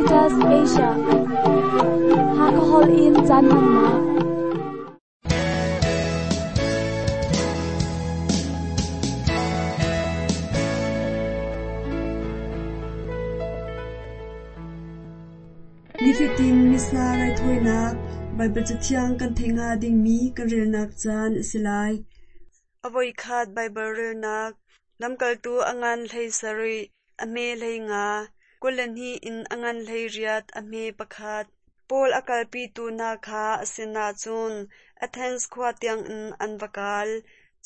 Adventist Asia. Hakha holh in caan hmannak. Nifatin Missa raithawinak Baibal Cathiang kan theih hnga dingmi kan relnak caan a si lai. A voikhat Baibal relnak Lamkaltu a ngan 17, a hme 15, 22 in a ngan 18, a hme pakhat. Paul a kalpitu hna kha a sinah cun Athens khua tiangin an va kal.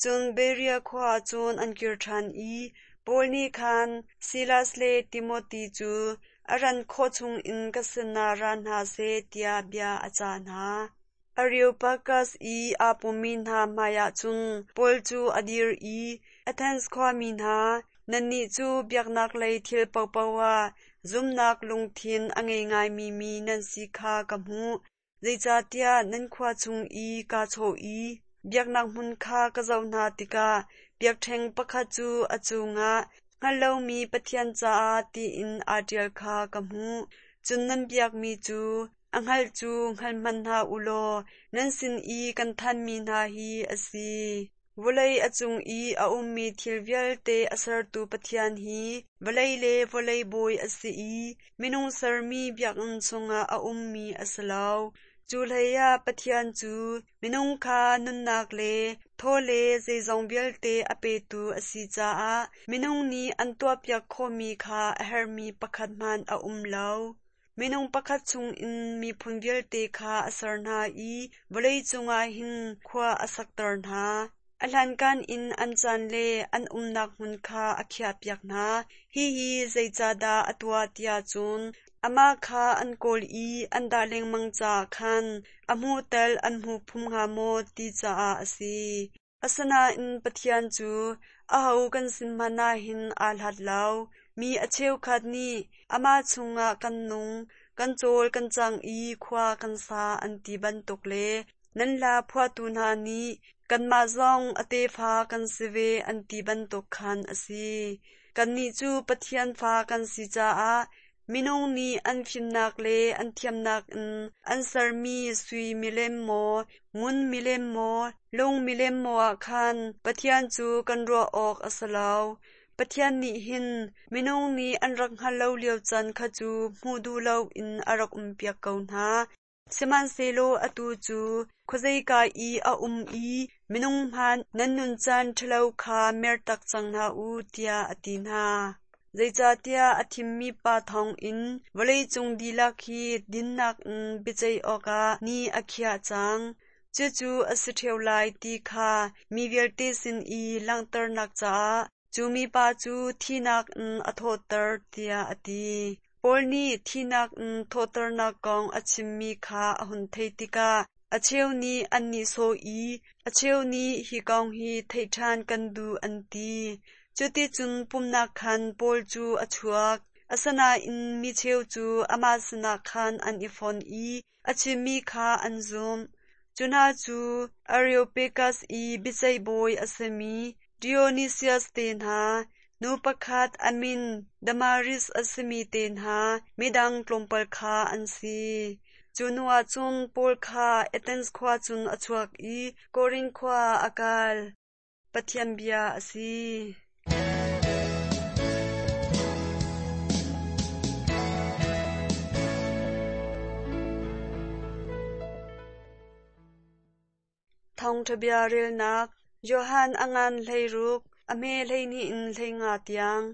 Cun Berea khua ah cun an kir ṭhan i Paul nih khan Silas le Timote cu a ran khawh chungin ka sinah ra hna seh tiah bia a cah hna. Areopagas i aa pummi hna hmaiah cun Paul cu a dir i, Athens khuami hna, nannih cu biaknak lei thil paohpaoh ah zumhnak lungthin a ngei ngaimi mi nan si kha ka hmuh. Zeicahtiah nan khua chung i kaa chawh i biaknak hmun kha ka zoh hna tikah biakṭheng pakhat cu a cungah hngalh lomi Pathian caah tiin aa ṭial kha ka hmuh. Cun nan biakmi cu a hngalh cu hngal hmanh hna u law nan sin i kan thanmi hna hi a si. Vawlei a cung i a ummi thil vialte a sertu Pathian hi vawlei le vawlei bawi a si i minung sermi biakinn chungah a ummi a si lo. Cu hleiah Pathian cu minung kha nunnak le thaw le zeizong vialte a petu a si caah minung nih an tuahpiak khawhmi kha a herhmi pakhat hmanh a um lo. Minung pakhat chungin miphun vialte kha a ser hna i vawlei cungah hin khua a sakter hna. A hlankan in an caan le an umnak hmun kha a khiahpiak hna. Hihi zeicahdah a tuah tiah cun amah kha an kawl i an dah lengmang caah khan a hmuh tal an hmu phum hnga maw ti caah a si. Asinain Pathian cu aho kan sin hmanh ah hin aa hlat lo. Mi a cheukhat nih amah chungah kan nung, kan cawl kan cang i khua kan sa an ti bantuk le nan hla phuahtu hna nih kanmah zong a tefa kan si ve an ti bantuk khan a si. Kannih cu Pathian fa kan si caah Minung nih an fimnak le an thiamnak in an sermi sui milem maw, ngun milem maw, lung milem maw ah khan Pathian cu kan ruah awk a si lo. Pathian nih hin minung nih an rak hngalh lo lio caan kha cu hmuh duh loin a rak umpiak ko hna. Sihmanhsehlaw atu cu khuazeika i a um i minung hmanh nan nuncan ṭhalo kha mertak cang hna u, tiah a ti hna. Zeicahtiah a thimmi pa thawngin vawleicung dihlak hi dinnak in biaceih awkah ni a khiah cang. Cucu a si ṭheo lai ti kha mi vialte sin i langhternak caah cu mipa cu thihnak in a thawhter, tiah a ti. Paul nih thihnak in thawhternak kong a chimmi kha a hun theih tikah a cheu nih an nihsawh i a cheu nih hi kong hi theih ṭhan kan duh an ti. Cuticun pumhnak khan Paul cu a chuak. Asinain mi cheu cu amah sinah khan an i fon i a chimmi kha an zumh. Cu hna cu Areopagas i biaceih bawi a simi Dionisius te hna, nu pakhat a min Damaris a simi te hna, midang tlawmpal kha an si. Cu hnuah cun Paul kha Athens khua cun a chuak i Korinth khua ah a kal. Pathian bia a si. Thawngṭha bia relnak Johan a ngan 16, a hme 12 in 15 tiang.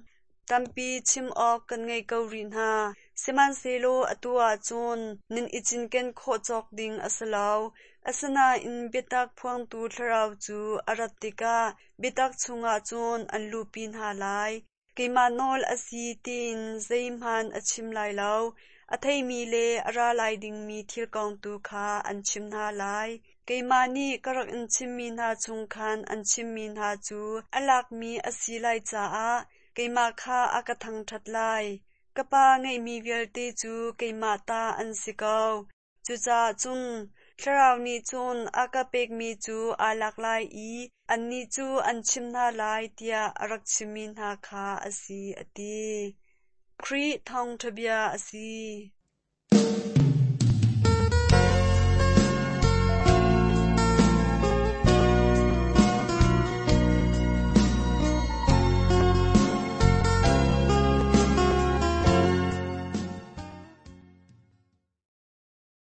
Tampi chim awk kan ngei ko rih hna, sihmanhsehlaw atu ah cun nan i cinken khawh cawk ding a si lo. Asinain biatak phuangtu Thlarau cu a rat tikah biatak chungah cun an luhpi hna lai. Keimah nawl a si tiin zeihmanh a chim lai lo. A theimi le a ra lai dingmi thil kong tu kha an chim hna lai. Keimah nih ka rak in chimmi hna chung khan an chimmi hna cu a lakmi a si lai caah keimah kha a ka thangṭhat lai. Ka Pa ngeihmi vialte cu keimah ta an si ko. Cucaah cun Thlarau nih cun a ka pekmi cu aa lak lai i annih cu an chimh hna lai tiah a rak chimmi hna kha a si, a ti. Khrih thawngṭha bia a si.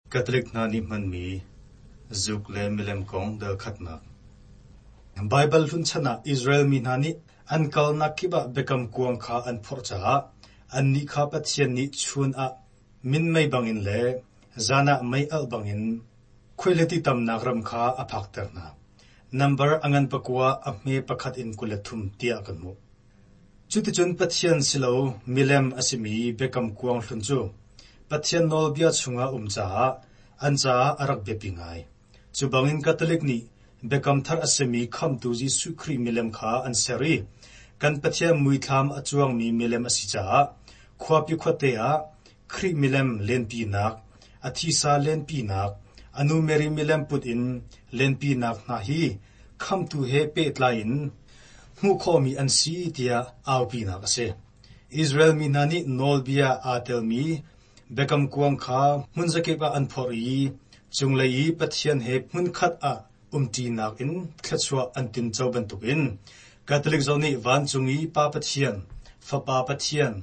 Catholic hna nih hmanmi zuk le milem kong dal khatnak. Baibal hlun chan ah Israel mi hna nih an kalnak kip ah biakam kuang kha an phorh caah annih kha Pathian nih chun ah minmei bangin le zan ah mei alh bangin khuaihliti tamnak ram kha a phakter hna. Nambar a ngan pakua a hme pakhat in 23 tiah kan hmuh. Cuticun Pathian si lo milem a simi biakam kuang hlun cu Pathian nawlbia chungah um caah an caah a rak biapi ngai. Cu bangin Catholic nih Biakam Thar a simi Khamhtu Jesuh Khrih milem kha an ser i kan Pathian muithlam a cuangmi milem a si caah khuapi khuate ah Khrih milem lenpinak, a thisa lenpinak, a nu Mary milem put in lenpinak hna hi Khamhtu he pehtlai in hmuh khawhmi an si tiah aupinak a si. Israel mi hna nih nawlbia aa telmi biakam kuang kha hmunzakip ah an phorh i cunglei i Pathian he hmunkhat ah umṭinak in thluachuah an tinco bantukin Catholic zong nih vancung i Pa Pathian, Fapa Pathian,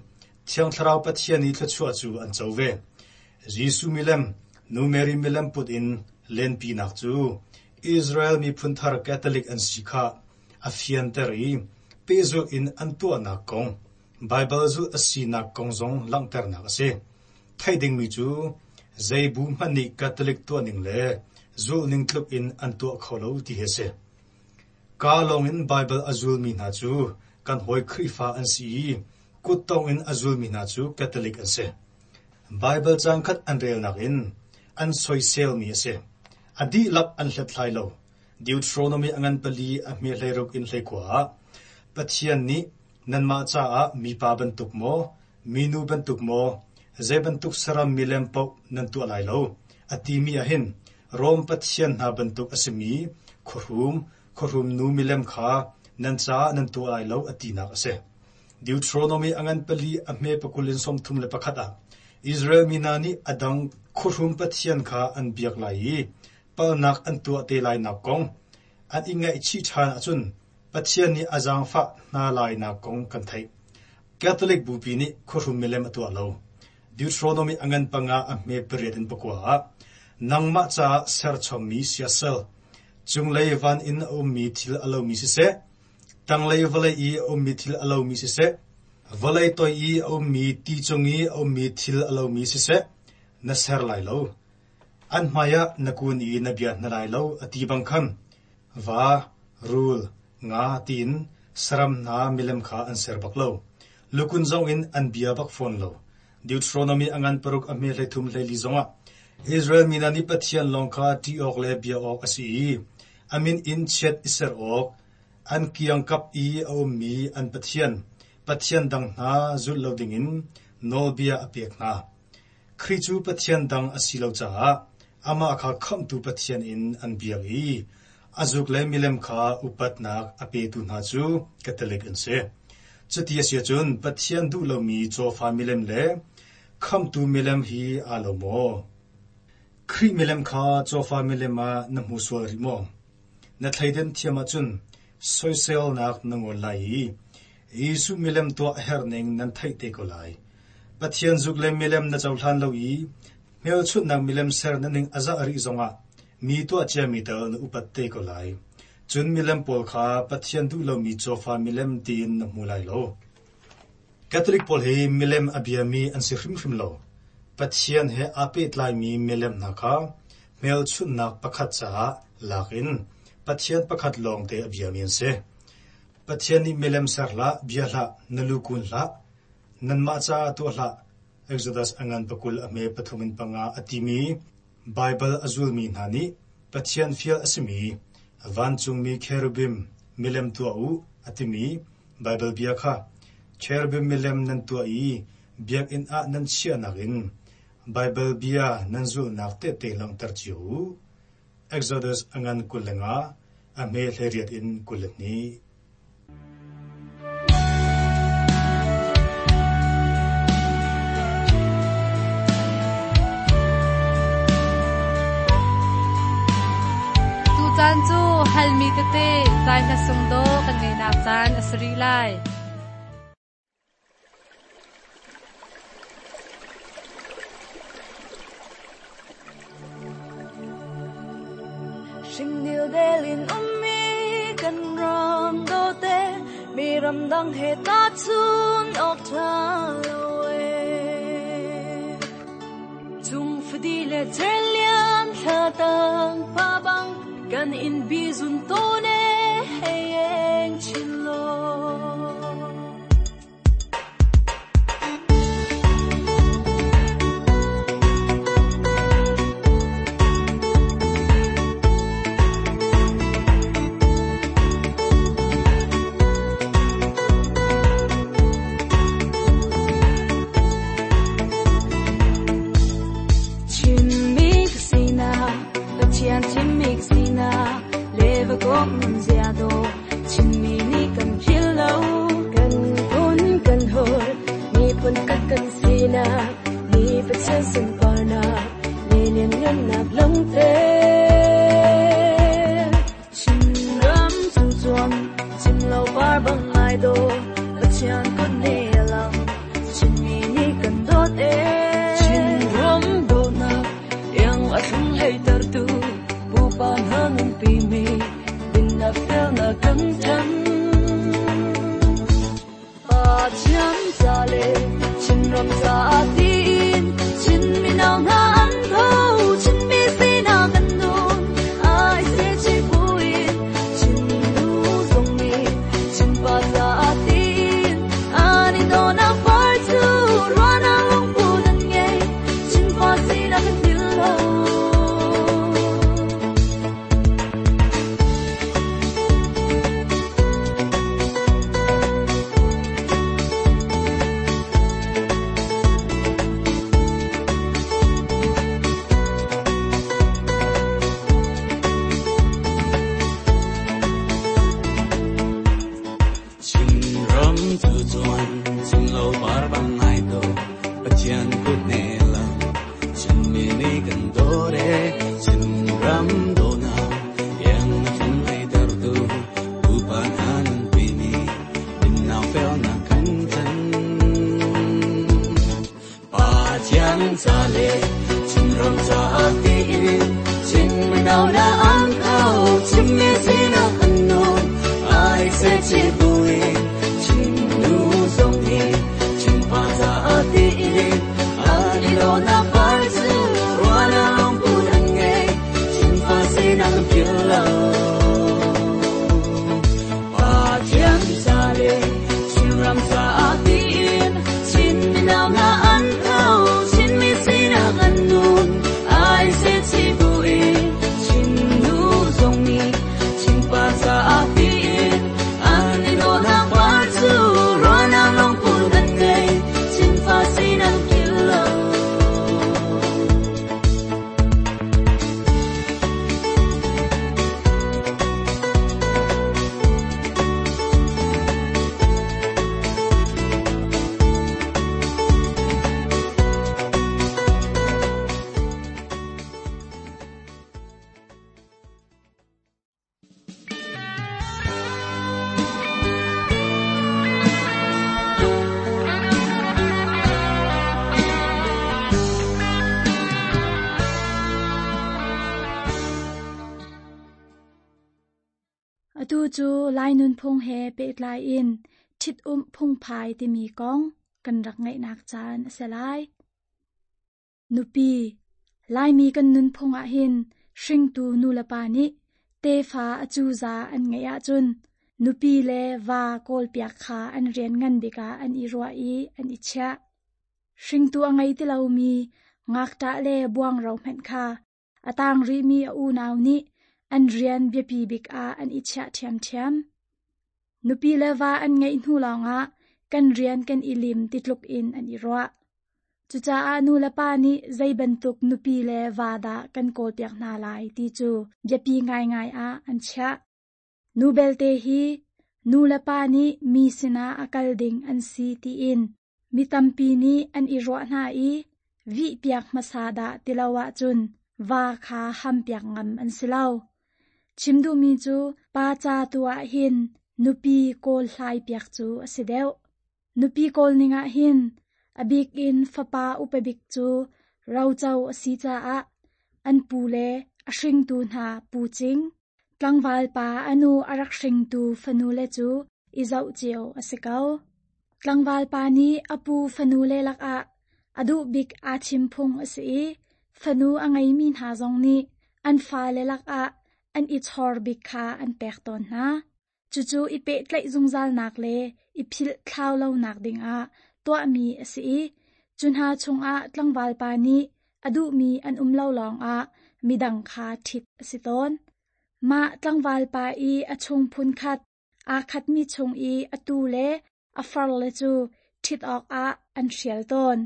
Thiang Thlarau Pathian i thluachuah cu an co ve. Jesuh milem, Nu Mary milem put in lenpinak cu Israel miphun thar Catholic an si kha a fianter i pehzulh in an tuahnak kong, Baibal zulh a sinak kong zong langhternak a si. Theih dingmi cu zei bu hmanh nih Catholic tuahning le zulhning tluk in an tuah kho lo ti hi a si. Kaa lawngin Baibal a zulmi hna cu kan hawi Khrihfa an si i kuttong in a zulmi hna cu Catholic an si. Baibal caangkhat an relnak in an soiselmi a si. A dihlak an hlathlai lo. Deuteronomy a ngan pali a hme 16 in 19 ah Pathian nih nanmah caah mipa bantuk maw, minu bantuk maw, zei bantuk saram milem paoh nan tuah lai lo, a timi ah hin Rom pathian hna bantuk a simi khuahrum, khuahrum nu milem kha nan caah nan tuah lai lo a tinak a si. Deuteronomy a ngan pali a hme pakul in 31 ah Israel mi hna nih a dang khuahrum pathian kha an biak lai i palhnak an tuah te lainak kong an i ngaihchih ṭhan ahcun Pathian nih a zaangfah hna lainak kong kan theih. Catholic Bupi nih khuahrum milem a tuah lo. Deuteronomy a ngan panga a hme pariat in pakua ah nangmah caah serchommi siasal, cunglei van in a ummi thil a lomi siseh, tanglei vawlei i a ummi thil a lomi siseh, vawlei toi i a ummi ti cung i a ummi thil a lomi siseh, na ser lai lo. An hmaiah na kun i na bia hna lai lo, a ti bang khan va, rul, nga tiin saram hna milem kha an ser bak lo. Lukun zongin an bia bak fawn lo. Deuteronomy a ngan paruk a hme 33 14 zongah Israel mi hna nih Pathian lawng kha ṭih awk le bia awk a si i a min in chiat i ser awk, an kiangkap i a ummi an pathian, pathian dang hna zulh lo dingin nawlbia a pek hna. Khrih cu Pathian dang a si lo caah amah kha Khamhtu Pathian in an biak i a zuk le milem kha upatnak a petu hna cu Catholic an si. Cuti a si ahcun Pathian duh lomi cawfa milem le Khamhtu milem hi aa lo maw? Khrih milem kha cawfa milem ah na hmu sual rih maw? Na thleidan thiam ahcun soiselnak na ngol lai i Jesuh milem tuah a herhning nan theih te ko lai. Pathian zuk le milem na cohlan lo i hmelchunhnak milem ser na ning a zah rih zongah mi tuah ciami tal na upat te ko lai. Cun milem pawl kha Pathian duh lomi cawfa milem tiin na hmu lai lo. Catholic pawl hi milem a biami an si hrimhrim lo. Pathian he aa pehtlaimi milem hna kha hmelchunhnak pakhat caah lak in Pathian pakhat lawngte a biami an si. Pathian nih milem ser hlah, bia hlah, na lu kun hlah, nanmah caah tuah hlah, Exodus a ngan pakul a hme pathum in panga a timi Baibal a zulmi hna nih Pathian fial a simi vancungmi cherubim milem tuah u a timi Baibal bia kha cherubim milem nan tuah i biakinn ah nan chiahnak in Baibal bia nan zulhnak tehte langhter cio u. Exodus a ngan 25, a hme 18 in 22. Tutan cu halmi tete zai hla sung dawh kan ngeihnak caan a si rih lai. Hringdil delin ummi kan ram dawte mi ramdang he tahchun awk ṭha lo ee. Cung fadi le cerlian thla tang pa bang kan in bizun tawn e hei eng chin law. Chinmi ka sinak, Pathian thimmi ka sinak, le va kawm nun zia dawh, Chinmi nih kan philh lo. Kan phun kan holh, miphun khat kan sinak, ni Pathian sunparnak, le lianngannak lawngter. Chinram cung cuang, cim lo par bang ai dawh, Pathian kut nih a lang, Chinmi nih kan dawt ee. Chinram dawtnak, iang a thlung hleitertu, pupa hna nunpimi, dinnak felnak kan ṭan. Pathian ca le Chinram caah tiin, Chin mino hna an tho, Chinmi sinak kan nun, ai se chi buin, Chin nu zong nih, Chinpa caah tiin, an i dawhnak par cu ruahnak lungput an ngei, Chinfa sinak kan philh lo. Chinram cu cuan, cimlo par bang ai dawh, Pathian kut ne lang, Chinmi nih kan dawt ee. Chinram dawhnak, iang a thlung hleitertu, pupa hna nunpimi, dinnak felnak kan ṭan. Pathian ca le Chinram caah tiin, Chin mino hna an tho, Chinmi sinak an nun, ai se chi buin, Chin nu zong nih, Chinpa caah tiin, an i dawhnak par cu ruahnak lungput an ngei, Chinfa sinak an philh lo. Pathian ca le Chinram caah tiin, Chin mino hna an tho, Chinmi sinak an nun, ai se chi buin, Chin nu zong nih, Chinpa caah tiin, an i dawhnak par cu ruahnak lungput an ngei, Chinfa sinak an philh lo. Atu cu Lai nunphung he pehtlai in ṭhitumh phungphai timi kong kan rak ngaihnak caan a si lai. Nupi, Laimi kan nunphung ahhin hringtu nulepa nih tefa a cuza an ngeih ahcun nupi le va kawlpiak kha an rian ngan bik ah an i ruah i an i chiah. Hringtu a ngei ti lomi ngakṭah le buangro hmanh kha a tang rihmi a unau nih an rian biapi bik ah an i chiah ṭhiamṭhiam. Nupi le va an ngeih hnu lawngah kan rian kan i lim ti tluk in an i ruah. Cucaah nu le pa nih zei bantuk nupi le va dah kan kawlpiak hna lai ti cu biapi ngaingai ah an chiah. Nu belte hi nu le pa nih mi sinah a kal ding an si tiin mi tampi nih an i ruah hna i vihpiak hmasa dah ti lo ahcun va kha hampiak ngam an si lo. Chim duhmi cu pa ca tu ah hin nupi kawl hlai piak cu a si deuh. Nupi kawl ning ah hin a bik in fapa upa bik cu roco a si caah an pu le a hringtu hna pu cing, tlangval pa a nu a rak hringtu fanule cu i zoh cio a si ko. Tlangval pa nih a pu fanule lakah a duh bik aa thim phung a si i fanu a ngeimi hna zong nih an fale lakah an i chawr bik kha an pek tawn hna. Cucu i pehtlaih zungzalnak le i philh thlau lonak dingah tuahmi a si i cu hna chungah tlangval pa nih a duhmi an um lo lawngah midang kha ṭhit a si tawn. Mah tlangval pa i a chung phunkhat aa khatmi chung i a tu le a farle cu ṭhit awkah an hrial tawn.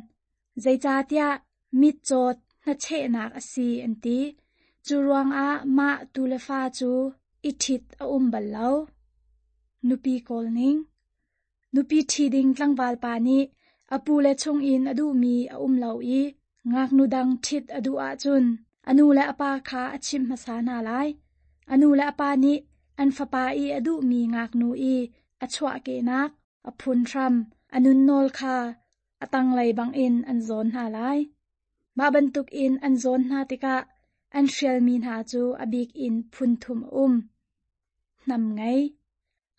Zeicahtiah mitcawt hnachehnak a si an ti. Cu ruangah mah tu le fa cu i ṭhit a um bal lo. Nupi kawl ning. Nupi ṭhi ding tlangval pa nih a pule chungin a duhmi a um lo i ngaknu dang ṭhit a duh ahcun a nu le a pa kha a chimh hmasa hna lai. A nu le a pa nih an fapa i a duhmi ngaknu i a chuahkehnak, a phunhram, a nunnawl kha a tanglei bangin an zawn hna lai. Mah bantukin an zawn hna tikah an hrialmi hna cu a bik in phun thum a um. Hnam ngei.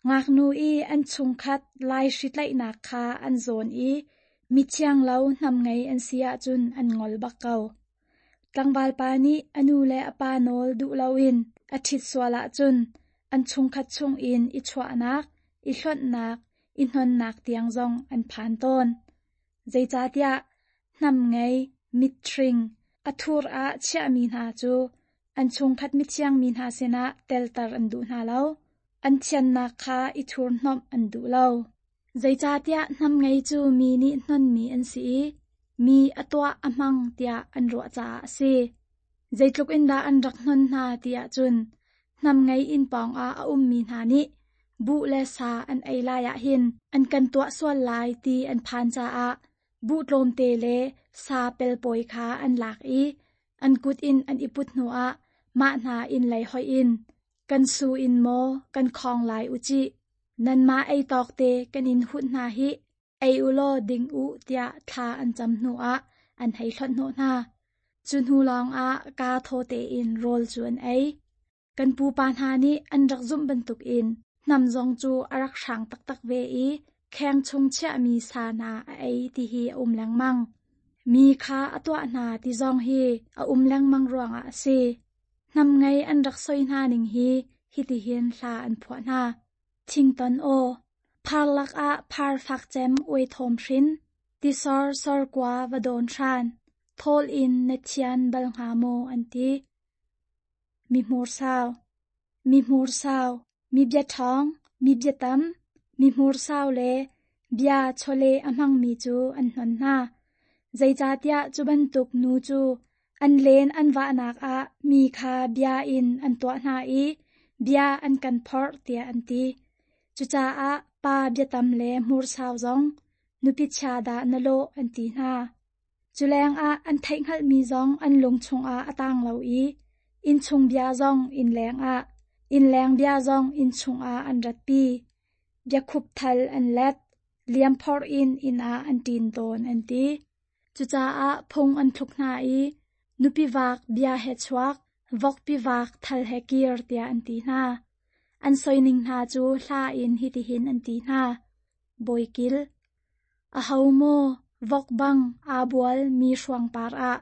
Ngaknu i an chungkhat laihri tlaihnak kha an zawn i mithiang lo hnam ngei an si ahcun an ngol bak ko. Tlangval pa nih a nu le a pa nawl duh loin a ṭhit sual ahcun an chungkhat chungin i chuahnak, i hlonhnak, i hnonnak tiang zong an phan tawn. Zeicahtiah hnam ngei, mitthring, a thur ah chiahmi hna cu an chungkhat mithiang mi hna sinah telter an duh hna lo. An thiannak kha i thurhnomh an duh lo. Zeicahtiah hnam ngei cu mi nih hnonmi an si i mi a tuah a hmang tiah an ruah caah a si. Zeitluk in dah an rak hnon hna ti ahcun hnam ngei inn pawngah a ummi hna nih buh le sa an ei lai ah hin an kan tuah sual lai ti an phan caah buh tlawmte le sa pelpawi kha an lak i an kut in an i put hnuah mah hna inn lei hoih in kan su in maw kan khawng lai u cih, nanmah ei tawk te kan in hunh hna hih, ei u law ding u tiah thla an cam hnuah an hei hlonh hnawh hna. Cu hnu lawngah kaa thaw tein rawl cu an ei. Kan pupa hna nih an rak zumh bantukin hnam zong cu a rak hrang taktak ve i kheng chung chiahmi sa hna a ei ti hi a um lengmang. Mi kha a tuah hna ti zong hi a um lengmang ruangah a si. Hnam ngei an rak soi hna ning hi hitihin hla an phuah hna. Thington aw, phar lakah phar fak cem uai thawm hrin, tisor sorkua va dawn hran, thawl in na thian bal hnga maw an ti. Mi hmursau, mi hmursau, mi biaṭhawng, mi biatam, mi hmursau le bia chawleh a hmangmi cu an hnon hna. Zeicahtiah cu bantuk nu cu an len an vahnak ah mi kha bia in an tuah hna i bia an kan phorh tiah an ti. Cucaah pa biatam le hmursau zong nupi chia dah na lawh an ti hna. Cu lengah an theihhngalhmi zong an lung chungah a tang lo i innchung bia zong innleng ah, innleng bia zong innchung ah an ratpi. Biakhup thal an let, liamphor in inn ah an ṭin tawn an ti. Cucaah phung an thluk hna i nupi vak bia he chuak, vokpi vak thal he kir tiah an ti hna. An soining hna cu hla in hitihin an ti hna. Bawikil. Aho maw vok bang aa bual mi hruang par ah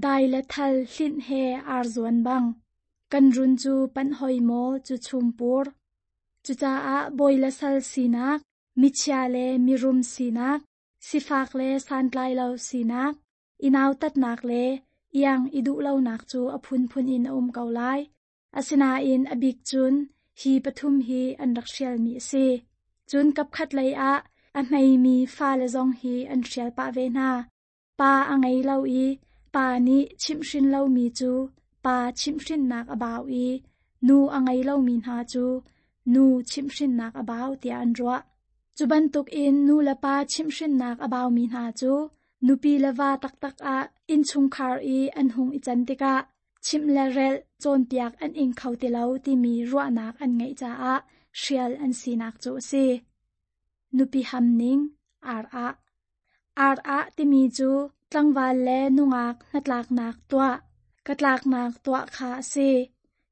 dai le thal hlinh he ar zuan bang kan run cu panh hoi maw cu chumpur. Cucaah bawi le sal sinak, michia le mirum sinak, sifak le santlai lo sinak, i nautatnak le iang i duh lonak cu a phunphun in a um ko lai. Asinain a bik cun hi pathum hi an rak hrialmi a si. Cun kapkhat lei ah a hmeimi fale zong hi an hrial pah ve hna. Pa a ngei lo i pa nih chimhhrin lomi cu pa chimhhrinnak a bau i nu a ngei lomi hna cu nu chimhhrinnak a bau tiah an ruah. Cu bantukin nu le pa chimhhrinnak a baumi hna cu nupi le va taktak ah innchungkhar i an hung i can tikah. Chimh le relh cawnpiak an ing kho ti lo timi ruahnak an ngeih caah hrial an sinak cu a si. Nupi ham ning, ar ah. Ar ah timi cu tlangval le nungak hnatlaknak tuah, katlaknak tuah kha a si.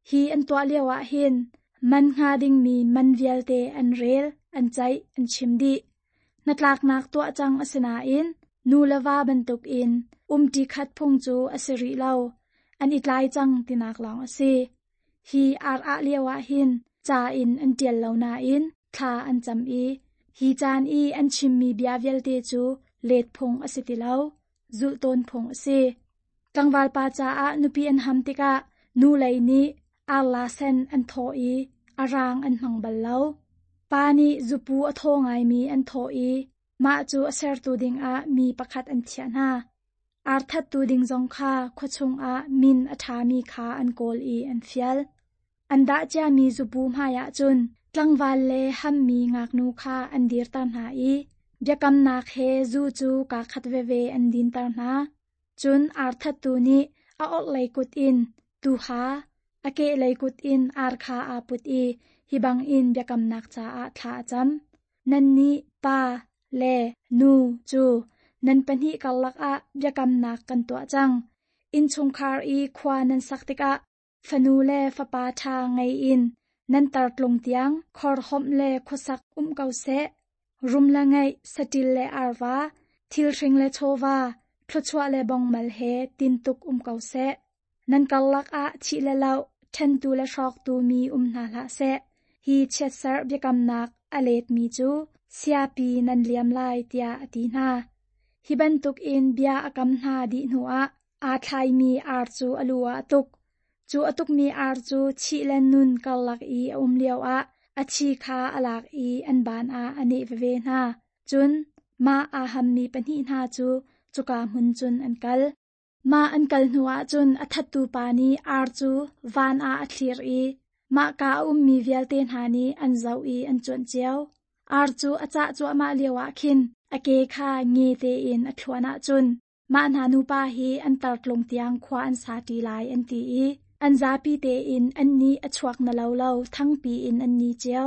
Hi an tuah lio ah hin man hnga dingmi man vialte an rel, an ceih, an chim dih. Hnatlaknak tuah cang a si nain nu le va bantukin umṭi khat phung cu a si rih lo. An i tlai cang tinak lawng a si. Hi ar ah lio ah hin ca in an ṭial lo nain thla an cam i hi caan i an chimmi bia vialte cu let phung a si ti lo, zulh tawn phung a si. Tlangval pa caah nupi an ham tikah nu lei nih arla sen an thawh i a rang an hmang bal lo. Pa nih zupu a thaw ngaimi an thawh i mah cu a sertu dingah mi pakhat an thiah hna. Ar thattu ding zong kha khua chungah min a ṭhami kha an kawl i an fial. An dah ciami zupu hmaiah cun tlangval le hammi ngaknu kha an dirter hna i biakamnak he zu cu kaa khat veve an dinter hna. Cun ar thattu nih a orhlei kut in tuuha, a kehlei kut in ar kha aa put i hi bangin biakamnak caah thla a cam. Nannih pa le nu cu nan pahnih karlak ah biakamnak kan tuah cang. Innchungkhar i khua nan sak tikah fanu le fapa ṭha ngei in nan tartlung tiang khorhomh le khuasak um ko seh. Rum le ngeih, saṭil le arva, thilhring le chawva, thluachuah le bongmal he tintuk um ko seh. Nan karlak ah thih le loh, ṭhentu le hrawktu mi um hna hlah seh. Hi chiatserh biakamnak a letmi cu siapi nan liam lai tiah a ti hna. Hi bantukin bia a kam hna dih hnuah aa thlaimi ar cu a lu ah a tuk. Cu a tukmi ar cu thih le nun karlak i a um lioah a thi kha a lak i an baan ah a neh veve hna. Cun mah aa hammi pahnih hna cu cuka hmun cun an kal. Mah an kal hnuah cun a thattu pa nih ar cu van ah a thlir i mahka a ummi vialte hna nih an zoh i an cuanh cio. Ar cu a cah cuahmah lioah khin a ke kha nge tein a thluan ahcun mah hna nupa hi an tartlung tiang khua an sa ṭi lai an ti i an zapi tein an nih a chuak na lo lo thangpi in an ni cio.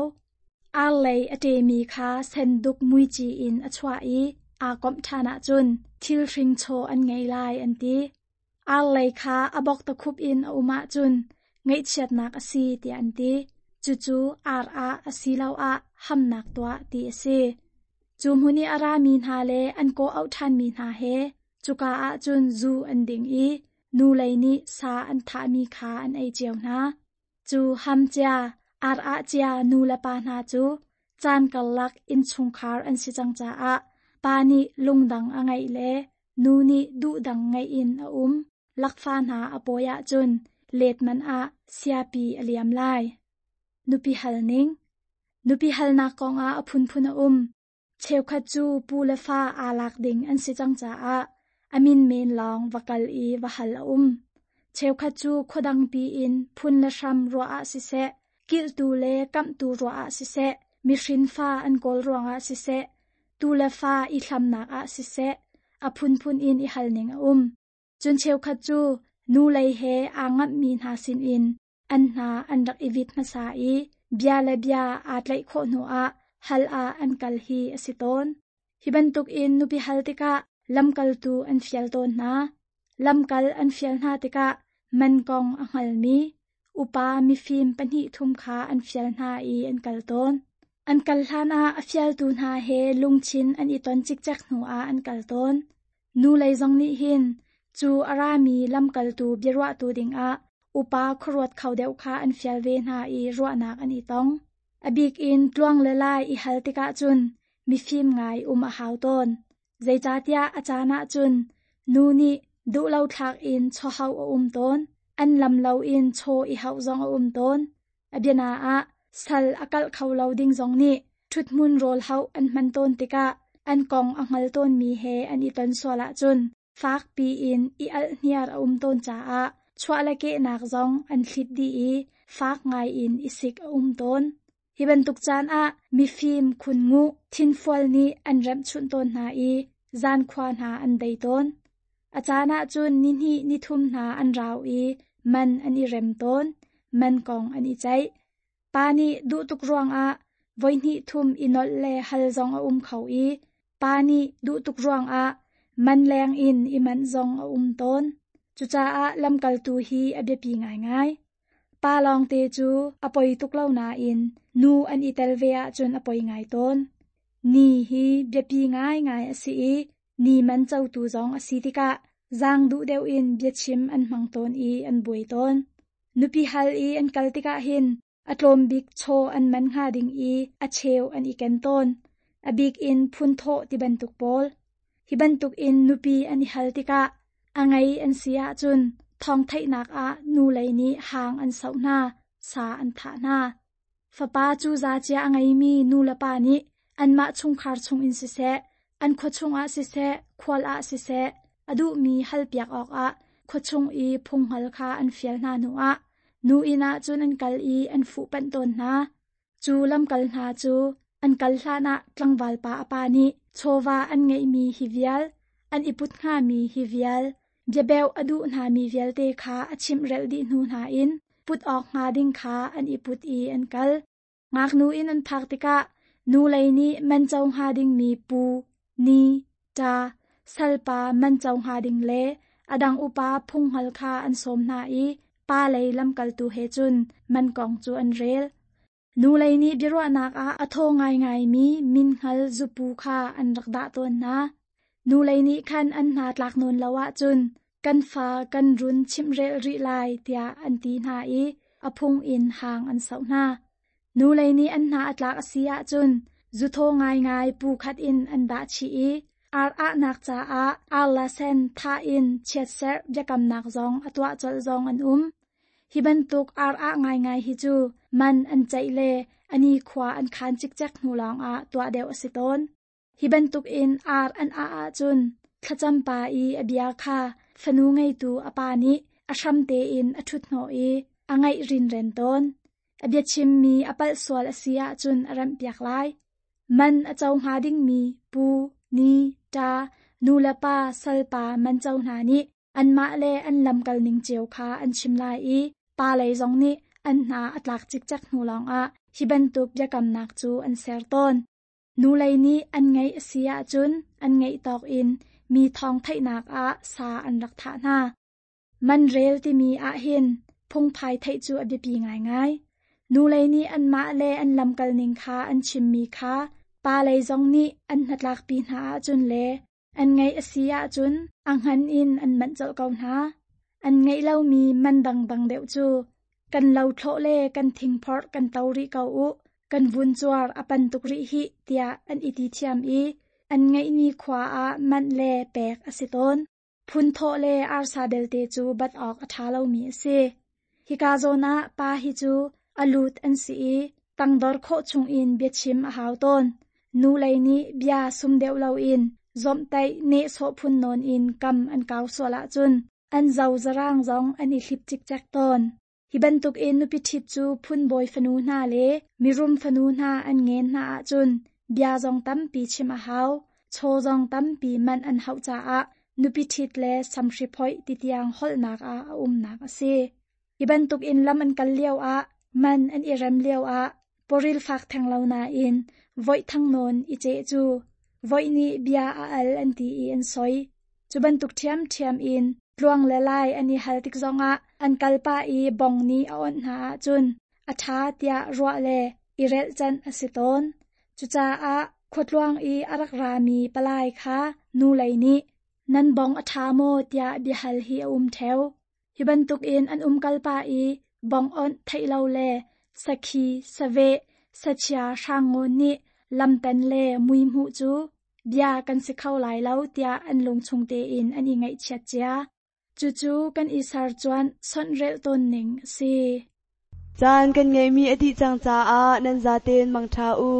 Ar lei a ṭemi kha senduk muici in a chuah i aa komh ṭhan ahcun thil hring chaw an ngei lai an ti. Ar lei kha a bok takhup in a um ahcun ngaihchiatnak a si tiah an ti. Cucu ar ah asiloah hamnak tuah ti a si. Cu hmun i a rami hna le an kawh-auh ṭhanmi hna he cuka ah cun zu an ding i nu lei nih sa an thahmi kha an ei cio hna. Cu ham cia, ar ah cia nu le pa hna cu caan karlak innchungkhar an si cang caah pa nih lungdang a ngeih le nu nih duhdang ngeih in a um. Lakfa hna a pawi ahcun let man ah siapi a liam lai. Nupi hal ning. Nupi halnak kongah a phunphun a um. Cheukhat cu pu le fa aa lak ding an si cang caah a min men lawng va kal i va hal a um. Cheukhat cu khuadang piin phun le hram ruah ah siseh, kilhtu le kamhtu ruah ah siseh, mihrin fa an kawl ruangah siseh, tu le fa i hlamnak ah siseh, a phunphun in i hal ning a um. Cun cheukhat cu nu lei he aa ngamhmi hna sinin an hna an rak i vit hmasa i bia le bia aa tlaih khawh hnuah hal ah an kal hi a si tawn. Hi bantukin nupi hal tikah lamkaltu an fial tawn hna. Lamkal an fial hna tikah man kong a hngalmi upa mifim pahnih thum kha an fial hna i an kal tawn. An kal hlanah a fialtu hna he lungthin an i ton cikcek hnuah an kal tawn. Nu lei zong nih hin cu a rami lamkaltu biaruahtu dingah upa khuaruat kho deuh kha an fial ve hna i ruahnak an i tong. A bik in tluang le lai i hal tikah cun mifim ngai um a hau tawn. Zeicahtiah a caan ah cun nu nih duhlo thlak in chawhauh a um tawn, an lam loin chaw i hauh zong a um tawn. A biana ah sal a kalh kho lo ding zong nih ṭhuthmun rawl hauh an hman tawn tikah an kong a hngal tawnmi he an i ton sual ahcun fakpi in i alhniar a um tawn caah chuah le kehnak zong an thlit dih i fak ngai in i sik a um tawn. Hi bantuk caan ah mifim khun-nguh thinfual nih an remhchunh tawn hna i zankhua hna an dei tawn. A caan ah cun nihnih nithum hna an rau i man an i rem tawn, man kong an i ceih. Pa nih duh tuk ruangah voihnih thum i nolh le hal zong a um kho i pa nih duh tuk ruangah man leng in i manh zong a um tawn. Cucaah lamkaltu hi a biapi ngaingai. Pa lawngte cu a poi tuk lo nain nu an i tel ve ahcun a poi ngai tawn. Ni hi biapi ngaingai a si i ni man cotu zong a si tikah zaang duh deuh in biachim an hmang tawn i an buai tawn. Nupi hal i an kal tikah hin a tlawm bik chaw an man hnga ding i a cheu an i ken tawn. A bik in phunthawh ti bantuk pawl. Hi bantuk in nupi an i hal tikah a ngei an si ahcun thawng theihnak ah nu lei nih hang an soh hna, sa an thah hna. Fapa cu za cia a ngeimi nu le pa nih anmah chungkhar chungin siseh, an khua chungah siseh, khual ah siseh, a duhmi halpiak awkah khua chung i phunghngal kha an fial hna hnuah nu inn ah cun an kal i an fuhpanh tawn hna. Cu lamkal hna cu an kal hlanah tlangval pa a pa nih chawva an ngeihmi hi vial, an i put hngami hi vial, biabeuh a duh hnami vialte kha a chimhrelh dih hnu hna in put awk hnga ding kha an i put i an kal. Ngaknu inn an phak tikah nu lei nih man co hnga dingmi pu, ni, ṭa, salpa man co hnga ding le a dang upa phunghngal kha an sawm hna i pa lei lamkaltu he cun man kong cu an rel. Nu lei nih biaruahnak ah a thaw ngaingaimi minhngal zupu kha an rak dah tawn hna. Nu lei nih khan an hna tlak nawn lo ahcun kan fa kan run chimhrelh rih lai tiah an ti hna i a phung in hang an soh hna. Nu lei nih an hna a tlak a si ahcun zuthaw ngaingai pu khat in an dah chih i ar ahnak caah arla sen thah in chiatserh biakamnak zong a tuah colh zong an um. Hi bantuk ar ah ngaingai hi cu man an ceih le a nikhua an khan cikcek hnu lawngah tuah deuh a si tawn. Hi bantuk in ar an ah ahcun thlacam pa i a bia kha fanu ngeitu a pa nih a hram tein a ṭhut hnawh i a ngaih rinren tawn. A biachimmi a palh sual a si ahcun a remhpiak lai. Man a co hnga dingmi pu, ni, ṭa, nu le pa, salpa man co hna nih anmah le an lamkal ning cio kha an chim lai i pa lei zong nih an hna a tlak cikcek hnu lawngah hi bantuk biakamnak cu an ser tawn. Nu lei nih an ngeih a si ahcun an ngeih tawk in mi thawng theihnak ah sa an rak thah hna. Man rel timi ahhin phungphai theih cu a biapi ngaingai. Nu lei nih anmah le an lamkal ning kha an chimmi kha pa lei zong nih an hnatlakpi hna ahcun le an ngeih a si ahcun a hngan in an manh colh ko hna. An ngeih lomi man dangdang deuh cu kan lo thlawh le kan thingphorh kan to rih ko u, kan vun cuar a pan tuk rih hih tiah an i ti thiam i an ngeihmi khua ah manh le pek a si tawn. Phunthawh le arsa belte cu bat awk a ṭha lomi a si. Hika zawn ah pa hi cu a lut an si i tangdor khawh chungin biachim a hau tawn. Nu lei nih bia sum deuh loin zawmhtaih nehsawh phun nawn in kam an kau sual ahcun an zo zarang zong an i hlip cikcek tawn. Hi bantukin nupi ṭhit cu phunbawi fanu hna le mirum fanu hna an ngen hna ahcun bia zong tampi chim a hau, chaw zong tampi manh an hauh caah nupi ṭhit le samhri phoih ti tiang holhnak ah a umnak a si. Hi bantukin lam an kal lioah, man an i rem lioah pawril fak theng lo nain voih thang nawn i ceh cu voih nih bia a al an ti i an soi. Cu bantuk ṭhiamṭhiam in tluang le lai an i hal tik zongah an kalpah i bong nih a awnh hna ahcun a ṭha tiah ruah le i relhcanh a si tawn. Cucaah khuatluang i a rak rami palai kha nu lei nih nan bong a ṭha maw tiah biahal hi a um ṭheo. Hi bantukin an umkal pah i bong awnh theih lo le sakhi, saveh, sachia hrangngawn nih lamten le mui hmuh cu bia kan si kho lai lo tiah an lungchung tein an i ngaihchiat cia. Cucu kan i sercuanh sonhrelh tawn ning a si. Caan kan ngeihmi a dih cang caah nan zaten mangṭha u.